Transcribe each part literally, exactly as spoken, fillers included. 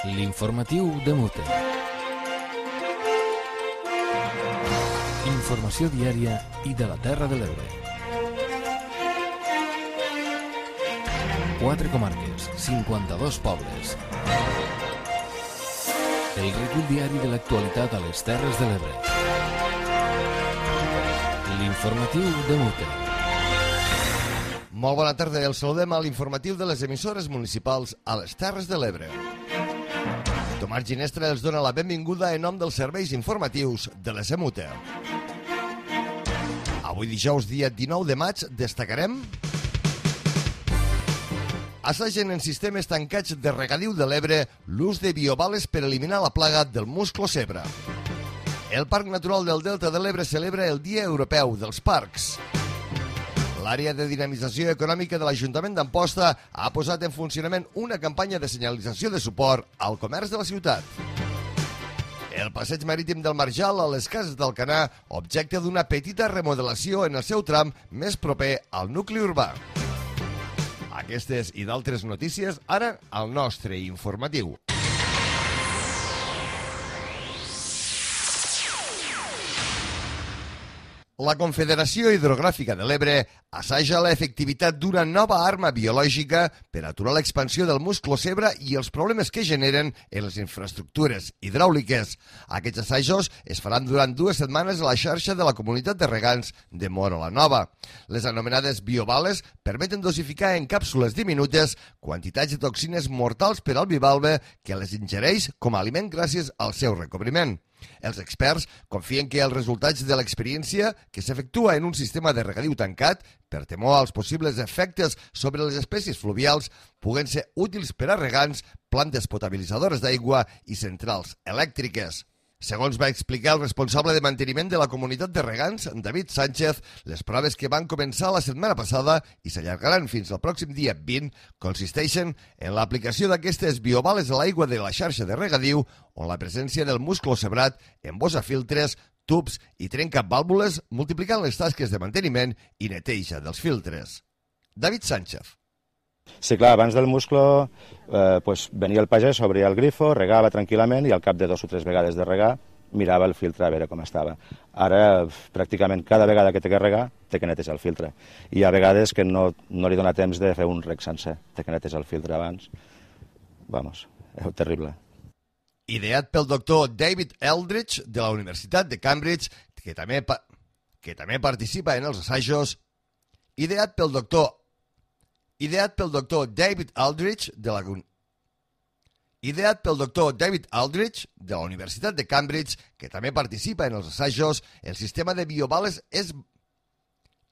L'informatiu de Mute. Informació diària i de la Terra de l'Ebre. Quatre comarques, cinquanta-dos pobles. El recull diari de l'actualitat a les Terres de l'Ebre. L'informatiu de Mute. Molt bona tarda, el saludem a l'informatiu de les emissores municipals a les Terres de l'Ebre. Tomàs Ginestra els dona la benvinguda en nom dels serveis informatius de l'E S E Mute. Avui dijous, dia dinou de maig, destacarem: assagen en sistemes tancats de regadiu de l'Ebre l'ús de biobales per eliminar la plaga del musclo zebra. El Parc Natural del Delta de l'Ebre celebra el Dia Europeu dels Parcs. L'àrea de dinamització econòmica de l'Ajuntament d'Amposta ha posat en funcionament una campanya de senyalització de suport al comerç de la ciutat. El passeig marítim del Marjal a les Cases d'Alcanar, objecte d'una petita remodelació en el seu tram més proper al nucli urbà. Aquestes i d'altres notícies ara al nostre informatiu. La Confederació Hidrogràfica de l'Ebre assaja l'efectivitat d'una nova arma biològica per aturar l'expansió del musclo zebra i els problemes que generen en les infraestructures hidràuliques. Aquests assajos es faran durant dues setmanes a la xarxa de la comunitat de regants de Móra la Nova. Les anomenades biobales permeten dosificar en càpsules diminutes quantitats de toxines mortals per al bivalve que les ingereix com a aliment gràcies al seu recobriment. Els experts confien que els resultats de l'experiència, que s'efectua en un sistema de regadiu tancat, per temor als possibles efectes sobre les espècies fluvials, puguen ser útils per a regants, plantes potabilitzadores d'aigua i centrals elèctriques. Segons va explicar el responsable de manteniment de la comunitat de regants, David Sánchez, les proves que van començar la setmana passada i s'allargaran fins al pròxim dia vint consisteixen en l'aplicació d'aquestes biobales a l'aigua de la xarxa de regadiu, on la presència del musclo zebrat embossa filtres, tubs i trenca vàlvules, multiplicant les tasques de manteniment i neteja dels filtres. David Sánchez. Sí, clar, abans del musclo eh, pues, venia el pagès, obria el grifo, regava tranquil·lament i al cap de dos o tres vegades de regar mirava el filtre a veure com estava. Ara, pràcticament cada vegada que té que regar, té que netejar el filtre. I hi ha vegades que no, no li dona temps de fer un reg sencer, té que netejar el filtre abans. Vamos, és terrible. Ideat pel doctor David Eldridge de la Universitat de Cambridge, que també, pa que també participa en els assajos. Ideat pel doctor Ideat pel doctor David Aldrich de la Ideat pel doctor David Aldrich de la Universitat de Cambridge, que també participa en els assajos, el sistema de biobales és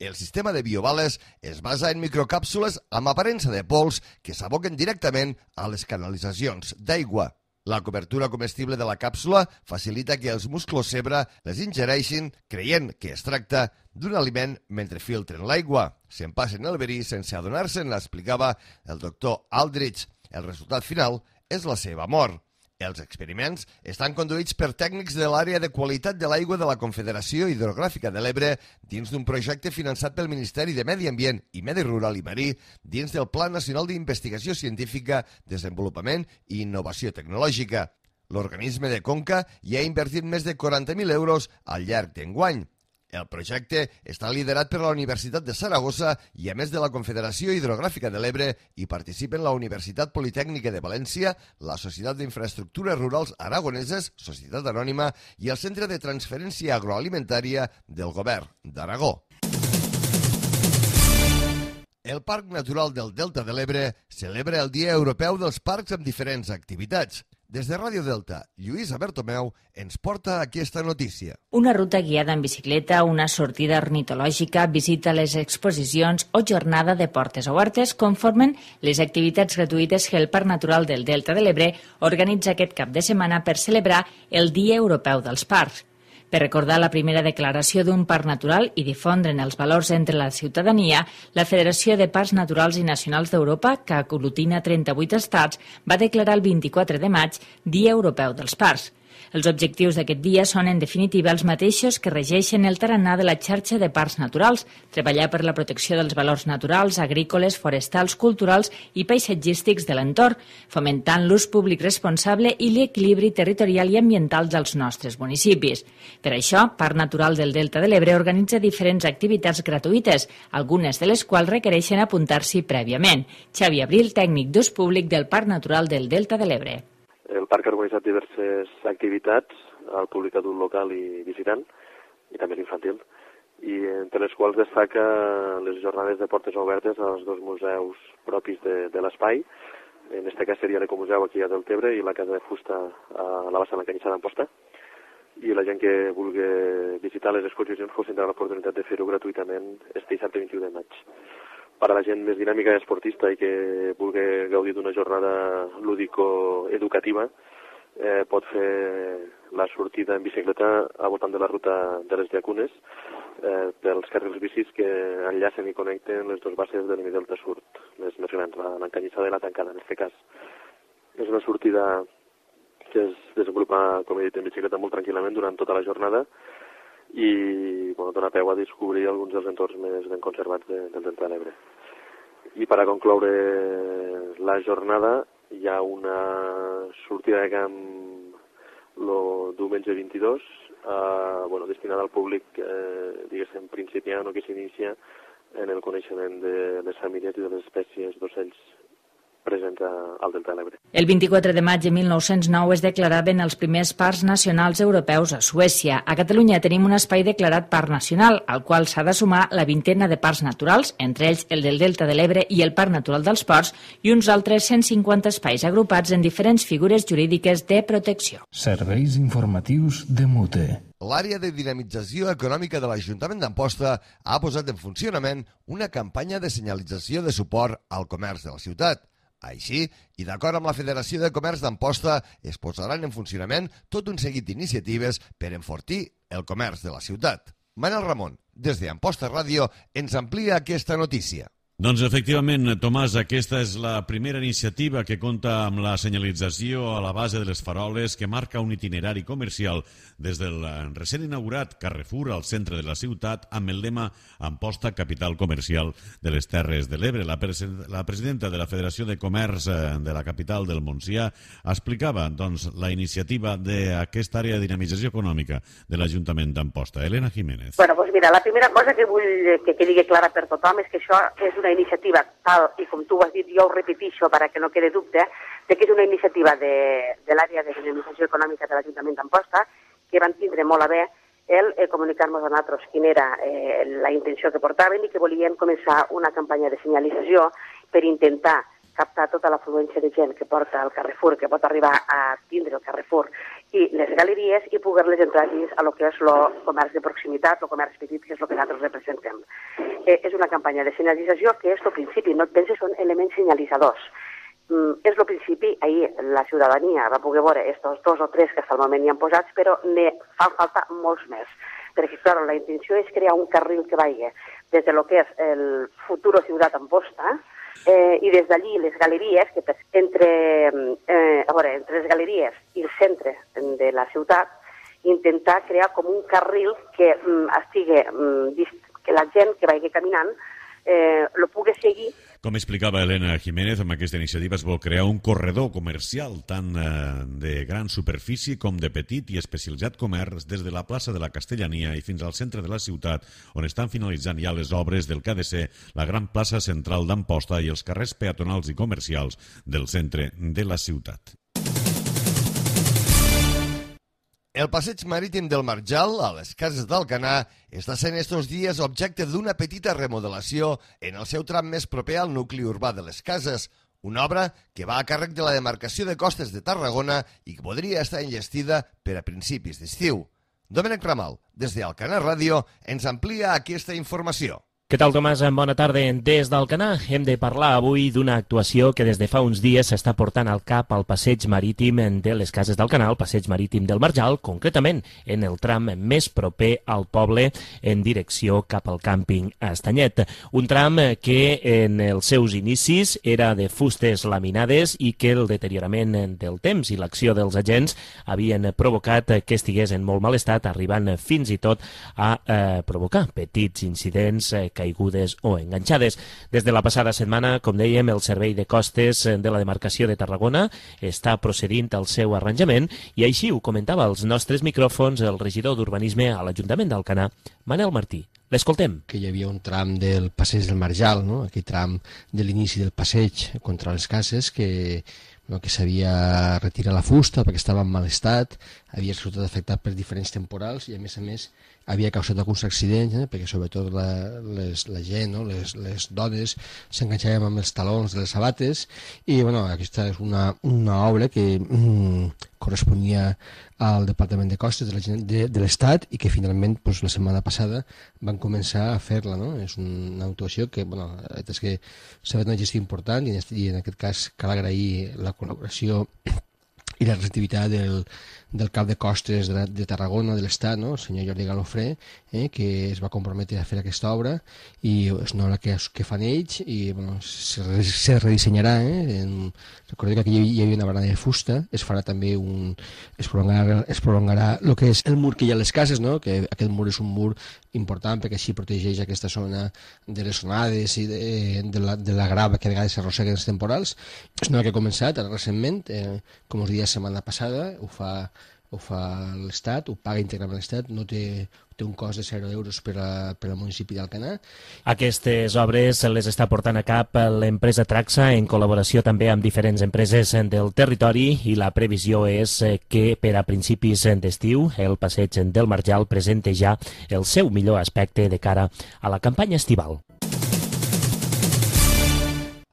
El sistema de biobales es basa en microcàpsules amb aparença de pols que s'aboquen directament a les canalitzacions d'aigua. La cobertura comestible de la càpsula facilita que els musclos zebra les ingereixin creient que es tracta d'un aliment mentre filtren l'aigua. Se'n passen el verí sense adonar-se'n, l'explicava el doctor Aldrich. El resultat final és la seva mort. Els experiments estan conduïts per tècnics de l'àrea de qualitat de l'aigua de la Confederació Hidrogràfica de l'Ebre dins d'un projecte finançat pel Ministeri de Medi Ambient i Medi Rural i Marí dins del Pla Nacional d'Investigació Científica, Desenvolupament i Innovació Tecnològica. L'organisme de Conca hi ha invertit més de quaranta mil euros al llarg d'enguany. El projecte està liderat per la Universitat de Saragossa i, a més de la Confederació Hidrogràfica de l'Ebre, hi participen la Universitat Politècnica de València, la Societat d'Infraestructures Rurals Aragoneses, Societat Anònima, i el Centre de Transferència Agroalimentària del Govern d'Aragó. El Parc Natural del Delta de l'Ebre celebra el Dia Europeu dels Parcs amb diferents activitats. Des de Ràdio Delta, Lluïsa Bertomeu ens porta aquesta notícia. Una ruta guiada en bicicleta, una sortida ornitològica, visita a les exposicions o jornada de portes obertes conformen les activitats gratuïtes que el Parc Natural del Delta de l'Ebre organitza aquest cap de setmana per celebrar el Dia Europeu dels Parcs. Per recordar la primera declaració d'un parc natural i difondre'n els valors entre la ciutadania, la Federació de Parcs Naturals i Nacionals d'Europa, que aglutina trenta-vuit estats, va declarar el vint-i-quatre de maig Dia Europeu dels Parcs. Els objectius d'aquest dia són, en definitiva, els mateixos que regeixen el tarannà de la xarxa de parcs naturals, treballar per la protecció dels valors naturals, agrícoles, forestals, culturals i paisatgístics de l'entorn, fomentant l'ús públic responsable i l'equilibri territorial i ambiental dels nostres municipis. Per això, Parc Natural del Delta de l'Ebre organitza diferents activitats gratuïtes, algunes de les quals requereixen apuntar-s'hi prèviament. Xavi Abril, tècnic d'ús públic del Parc Natural del Delta de l'Ebre. El parc ha organitzat diverses activitats al públic adult local i visitant, i també l'infantil, i entre les quals destaca les jornades de portes obertes als dos museus propis de, de l'espai. En aquest cas seria l'Ecomuseu aquí a Deltebre i la Casa de Fusta a la Bassa de la Canyissada d'Amposta. I la gent que vulgui visitar les exposicions pues, tindrà l'oportunitat de fer-ho gratuïtament este dissabte vint-i-u de maig. Per a la gent més dinàmica i esportista i que vulgui gaudir d'una jornada lúdico-educativa, eh, pot fer la sortida en bicicleta al voltant de la ruta de les Llacunes, eh, pels carrils bicis que enllacen i connecten les dues bases de l'Hemidelta Sud, les més grans, l'Encanyissada i la Tancada, en aquest cas. És una sortida que es desenvolupa, com he dit, en bicicleta molt tranquil·lament durant tota la jornada, i bueno, dona peu a descobrir alguns dels entorns més ben conservats de, del Delta de l'Ebre. I per a concloure la jornada hi ha una sortida de camp el diumenge vint-i-dos, eh, bueno, destinada al públic eh, diguéssim principiant o que s'inicia en el coneixement de les famílies i de les espècies d'ocells presents al Delta de l'Ebre. El vint-i-quatre de maig de mil nou-cents nou es declaraven els primers parcs nacionals europeus a Suècia. A Catalunya tenim un espai declarat parc nacional, al qual s'ha de sumar la vintena de parcs naturals, entre ells el del Delta de l'Ebre i el Parc Natural dels Ports, i uns altres cent cinquanta espais agrupats en diferents figures jurídiques de protecció. Serveis informatius de Mute. L'àrea de dinamització econòmica de l'Ajuntament d'Amposta ha posat en funcionament una campanya de senyalització de suport al comerç de la ciutat. Així, i d'acord amb la Federació de Comerç d'Amposta, es posaran en funcionament tot un seguit d'iniciatives per enfortir el comerç de la ciutat. Manel Ramon, des d'Amposta Ràdio, ens amplia aquesta notícia. Doncs efectivament, Tomàs, aquesta és la primera iniciativa que compta amb la senyalització a la base de les faroles que marca un itinerari comercial des del recent inaugurat Carrefour al centre de la ciutat amb el lema Amposta, capital comercial de les Terres de l'Ebre. La, la presidenta de la Federació de Comerç de la capital del Montsià explicava doncs, la iniciativa d'aquesta àrea de dinamització econòmica de l'Ajuntament d'Amposta. Elena Jiménez. Bueno, doncs mira, la primera cosa que vull que quedi clara per tothom és que això és una iniciativa tal, i com tu ho has dit, jo ho repetixo perquè no quede dubte, de que és una iniciativa de, de l'àrea de dinamització econòmica de l'Ajuntament d'Amposta, que van tindre molt a bé el eh, comunicar-nos a nosaltres quina era eh, la intenció que portaven i que volien començar una campanya de senyalització per intentar captar tota l'afluència de gent que porta el Carrefour, que pot arribar a tindre el Carrefour i les galeries i poder-les entrar dins a lo que és el comerç de proximitat, el comerç petit, que és el que nosaltres representem. Eh, és una campanya de senyalització que és el principi, no et penses, són elements senyalitzadors. Mm, és el principi, ahir la ciutadania va poder veure estos dos o tres que fins al moment hi han posats, però ne fan falta molts més. Perquè, clar, la intenció és crear un carril que vagi des de lo que és el futuro Ciutat Amposta, Eh, i des d'allí les galeries, que per, entre, eh, a veure, entre les galeries i el centre de la ciutat, intentar crear com un carril que mm, estigui, mm, que la gent que vagi caminant eh, lo pugui seguir. Com explicava Elena Jiménez, amb aquesta iniciativa es vol crear un corredor comercial tant eh, de gran superfície com de petit i especialitzat comerç des de la plaça de la Castellania i fins al centre de la ciutat, on estan finalitzant ja les obres del que ha de ser la gran plaça central d'Amposta i els carrers peatonals i comercials del centre de la ciutat. El passeig marítim del Marjal, a les Cases d'Alcanar, està sent estos dies objecte d'una petita remodelació en el seu tram més proper al nucli urbà de les Cases, una obra que va a càrrec de la demarcació de costes de Tarragona i que podria estar enllestida per a principis d'estiu. Domènec Ramal, des d'Alcanar Ràdio, ens amplia aquesta informació. Què tal, Tomàs? Bona tarda. Des d'Alcanar hem de parlar avui d'una actuació que des de fa uns dies s'està portant al cap al passeig marítim de les Cases d'Alcanar, el passeig marítim del Marjal, concretament en el tram més proper al poble en direcció cap al càmping Estanyet. Un tram que en els seus inicis era de fustes laminades i que el deteriorament del temps i l'acció dels agents havien provocat que estigués en molt mal estat, arribant fins i tot a eh, provocar petits incidents eh, caigudes o enganxades. Des de la passada setmana, com dèiem, el Servei de Costes de la demarcació de Tarragona està procedint al seu arranjament i així ho comentava als nostres micròfons el regidor d'Urbanisme a l'Ajuntament d'Alcanar, Manel Martí. L'escoltem. Que hi havia un tram del passeig del Marjal, no? Aquell tram de l'inici del passeig contra les cases que no, que s'havia retirat la fusta perquè estava en mal estat, havia resultat afectat per diferents temporals i a més a més havia causat alguns accidents, eh, perquè sobretot la, les, la gent, no? les, les dones s'enganxaven amb els talons de les sabates i bueno, aquesta és una, una obra que mm, corresponia al Departament de Costes de, la, de, de l'Estat i que finalment pues, la setmana passada van començar a fer-la. No? És una actuació que bueno, és que s'ha fet una gestió important i en, i en aquest cas cal agrair la col·laboració i la receptivitat del, del cap de costes de, de Tarragona, de l'Estat, no? El senyor Jordi Galofré, eh, que es va comprometre a fer aquesta obra i és una obra que, que fan ells i bueno, se, se redissenyarà. Eh? En, recordo que aquí hi havia una barana de fusta, es farà també un... es prolongarà, es prolongarà el que és el mur que hi ha a les cases, no? Que aquest mur és un mur important perquè així protegeix aquesta zona de les onades i de, de, la, de la grava que a vegades s'arrosseguen els temporals. És una que ha començat ara recentment, eh, com us deia, setmana passada, ho fa, ho fa l'Estat, ho paga íntegrament l'Estat, no té, té un cost de zero euros per, a, per al municipi d'Alcanar. Aquestes obres les està portant a cap l'empresa Traxa en col·laboració també amb diferents empreses del territori i la previsió és que per a principis d'estiu el passeig del Marjal presente ja el seu millor aspecte de cara a la campanya estival.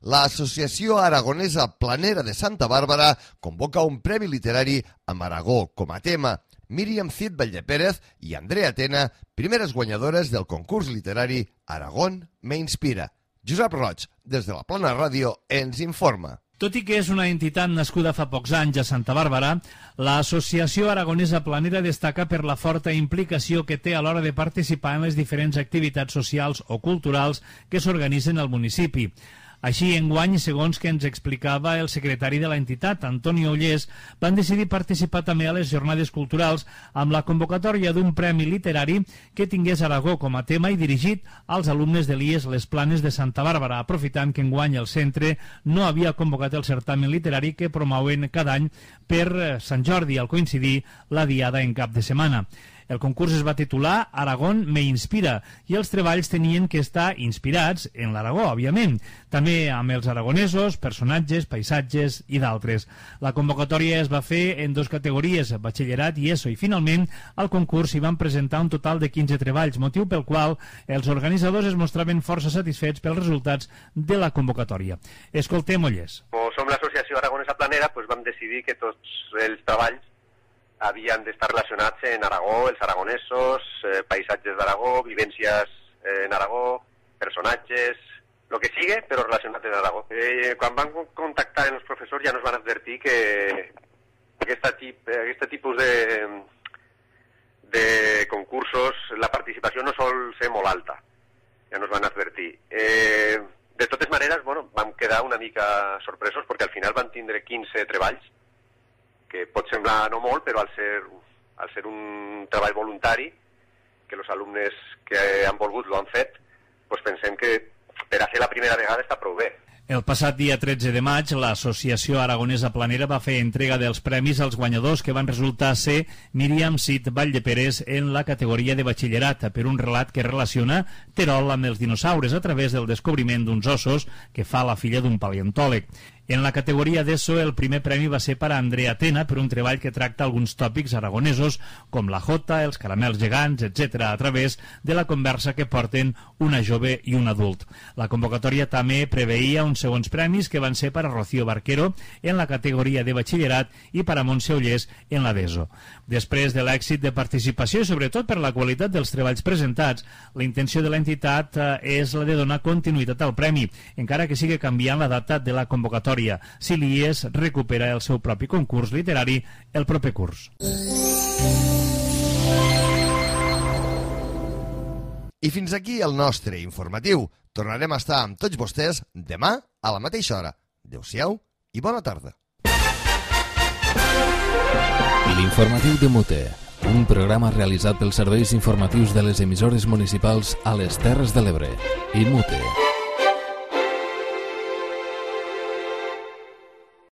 L'Associació Aragonesa Planera de Santa Bàrbara convoca un premi literari amb Aragó com a tema. Míriam Cid Valldepérez i Andrea Tena, primeres guanyadores del concurs literari Aragón me inspira. Josep Roig, des de la Plana Ràdio, ens informa. Tot i que és una entitat nascuda fa pocs anys a Santa Bàrbara, l'Associació Aragonesa Planera destaca per la forta implicació que té a l'hora de participar en les diferents activitats socials o culturals que s'organitzen al municipi. Així, enguany, segons que ens explicava el secretari de l'entitat, Antoni Ollés, van decidir participar també a les jornades culturals amb la convocatòria d'un premi literari que tingués Aragó com a tema i dirigit als alumnes de l'I E S Les Planes de Santa Bàrbara, aprofitant que enguany el centre no havia convocat el certamen literari que promouen cada any per Sant Jordi, al coincidir la diada en cap de setmana. El concurs es va titular Aragón me inspira i els treballs tenien que estar inspirats en l'Aragó, òbviament, també amb els aragonesos, personatges, paisatges i d'altres. La convocatòria es va fer en dues categories, batxillerat i ESO, i finalment al concurs s'hi van presentar un total de quinze treballs, motiu pel qual els organitzadors es mostraven força satisfets pels resultats de la convocatòria. Escoltem Ollés. Com som l'Associació Aragonesa Planera, doncs vam decidir que tots els treballs havien d'estar relacionats en Aragó, els aragonesos, eh, paisatges d'Aragó, vivències eh, en Aragó, personatges, el que sigui, però relacionat en Aragó. Eh, quan van contactar els professors ja ens van advertir que aquesta tip, aquest tipus de, de concursos, la participació no sol ser molt alta, ja ens van advertir. Eh, de totes maneres, bueno, vam quedar una mica sorpresos perquè al final van tindre quinze treballs, que pot semblar no molt, però al ser, al ser un treball voluntari, que els alumnes que han volgut l'han fet, doncs pensem que per a ser la primera vegada està prou bé. El passat dia tretze de maig, l'Associació Aragonesa Planera va fer entrega dels premis als guanyadors que van resultar ser Míriam Cid Valldepérez en la categoria de batxillerat per un relat que relaciona Terol amb els dinosaures a través del descobriment d'uns ossos que fa la filla d'un paleontòleg. En la categoria d'ESO, el primer premi va ser per a Andrea Tena, per un treball que tracta alguns tòpics aragonesos, com la jota, els caramels gegants, etcètera, a través de la conversa que porten una jove i un adult. La convocatòria també preveia uns segons premis que van ser per a Rocío Barquero en la categoria de batxillerat i per a Montse Ullés en la d'ESO. Després de l'èxit de participació i sobretot per la qualitat dels treballs presentats, la intenció de l'entitat eh, és la de donar continuïtat al premi, encara que sigui canviant la data de la convocatòria, si l'I E S recupera el seu propi concurs literari el proper curs. I fins aquí el nostre informatiu. Tornarem a estar amb tots vostès demà a la mateixa hora. Adéu-siau i bona tarda. L'informatiu de Mute, un programa realitzat pels serveis informatius de les emissores municipals a les Terres de l'Ebre. I Mute.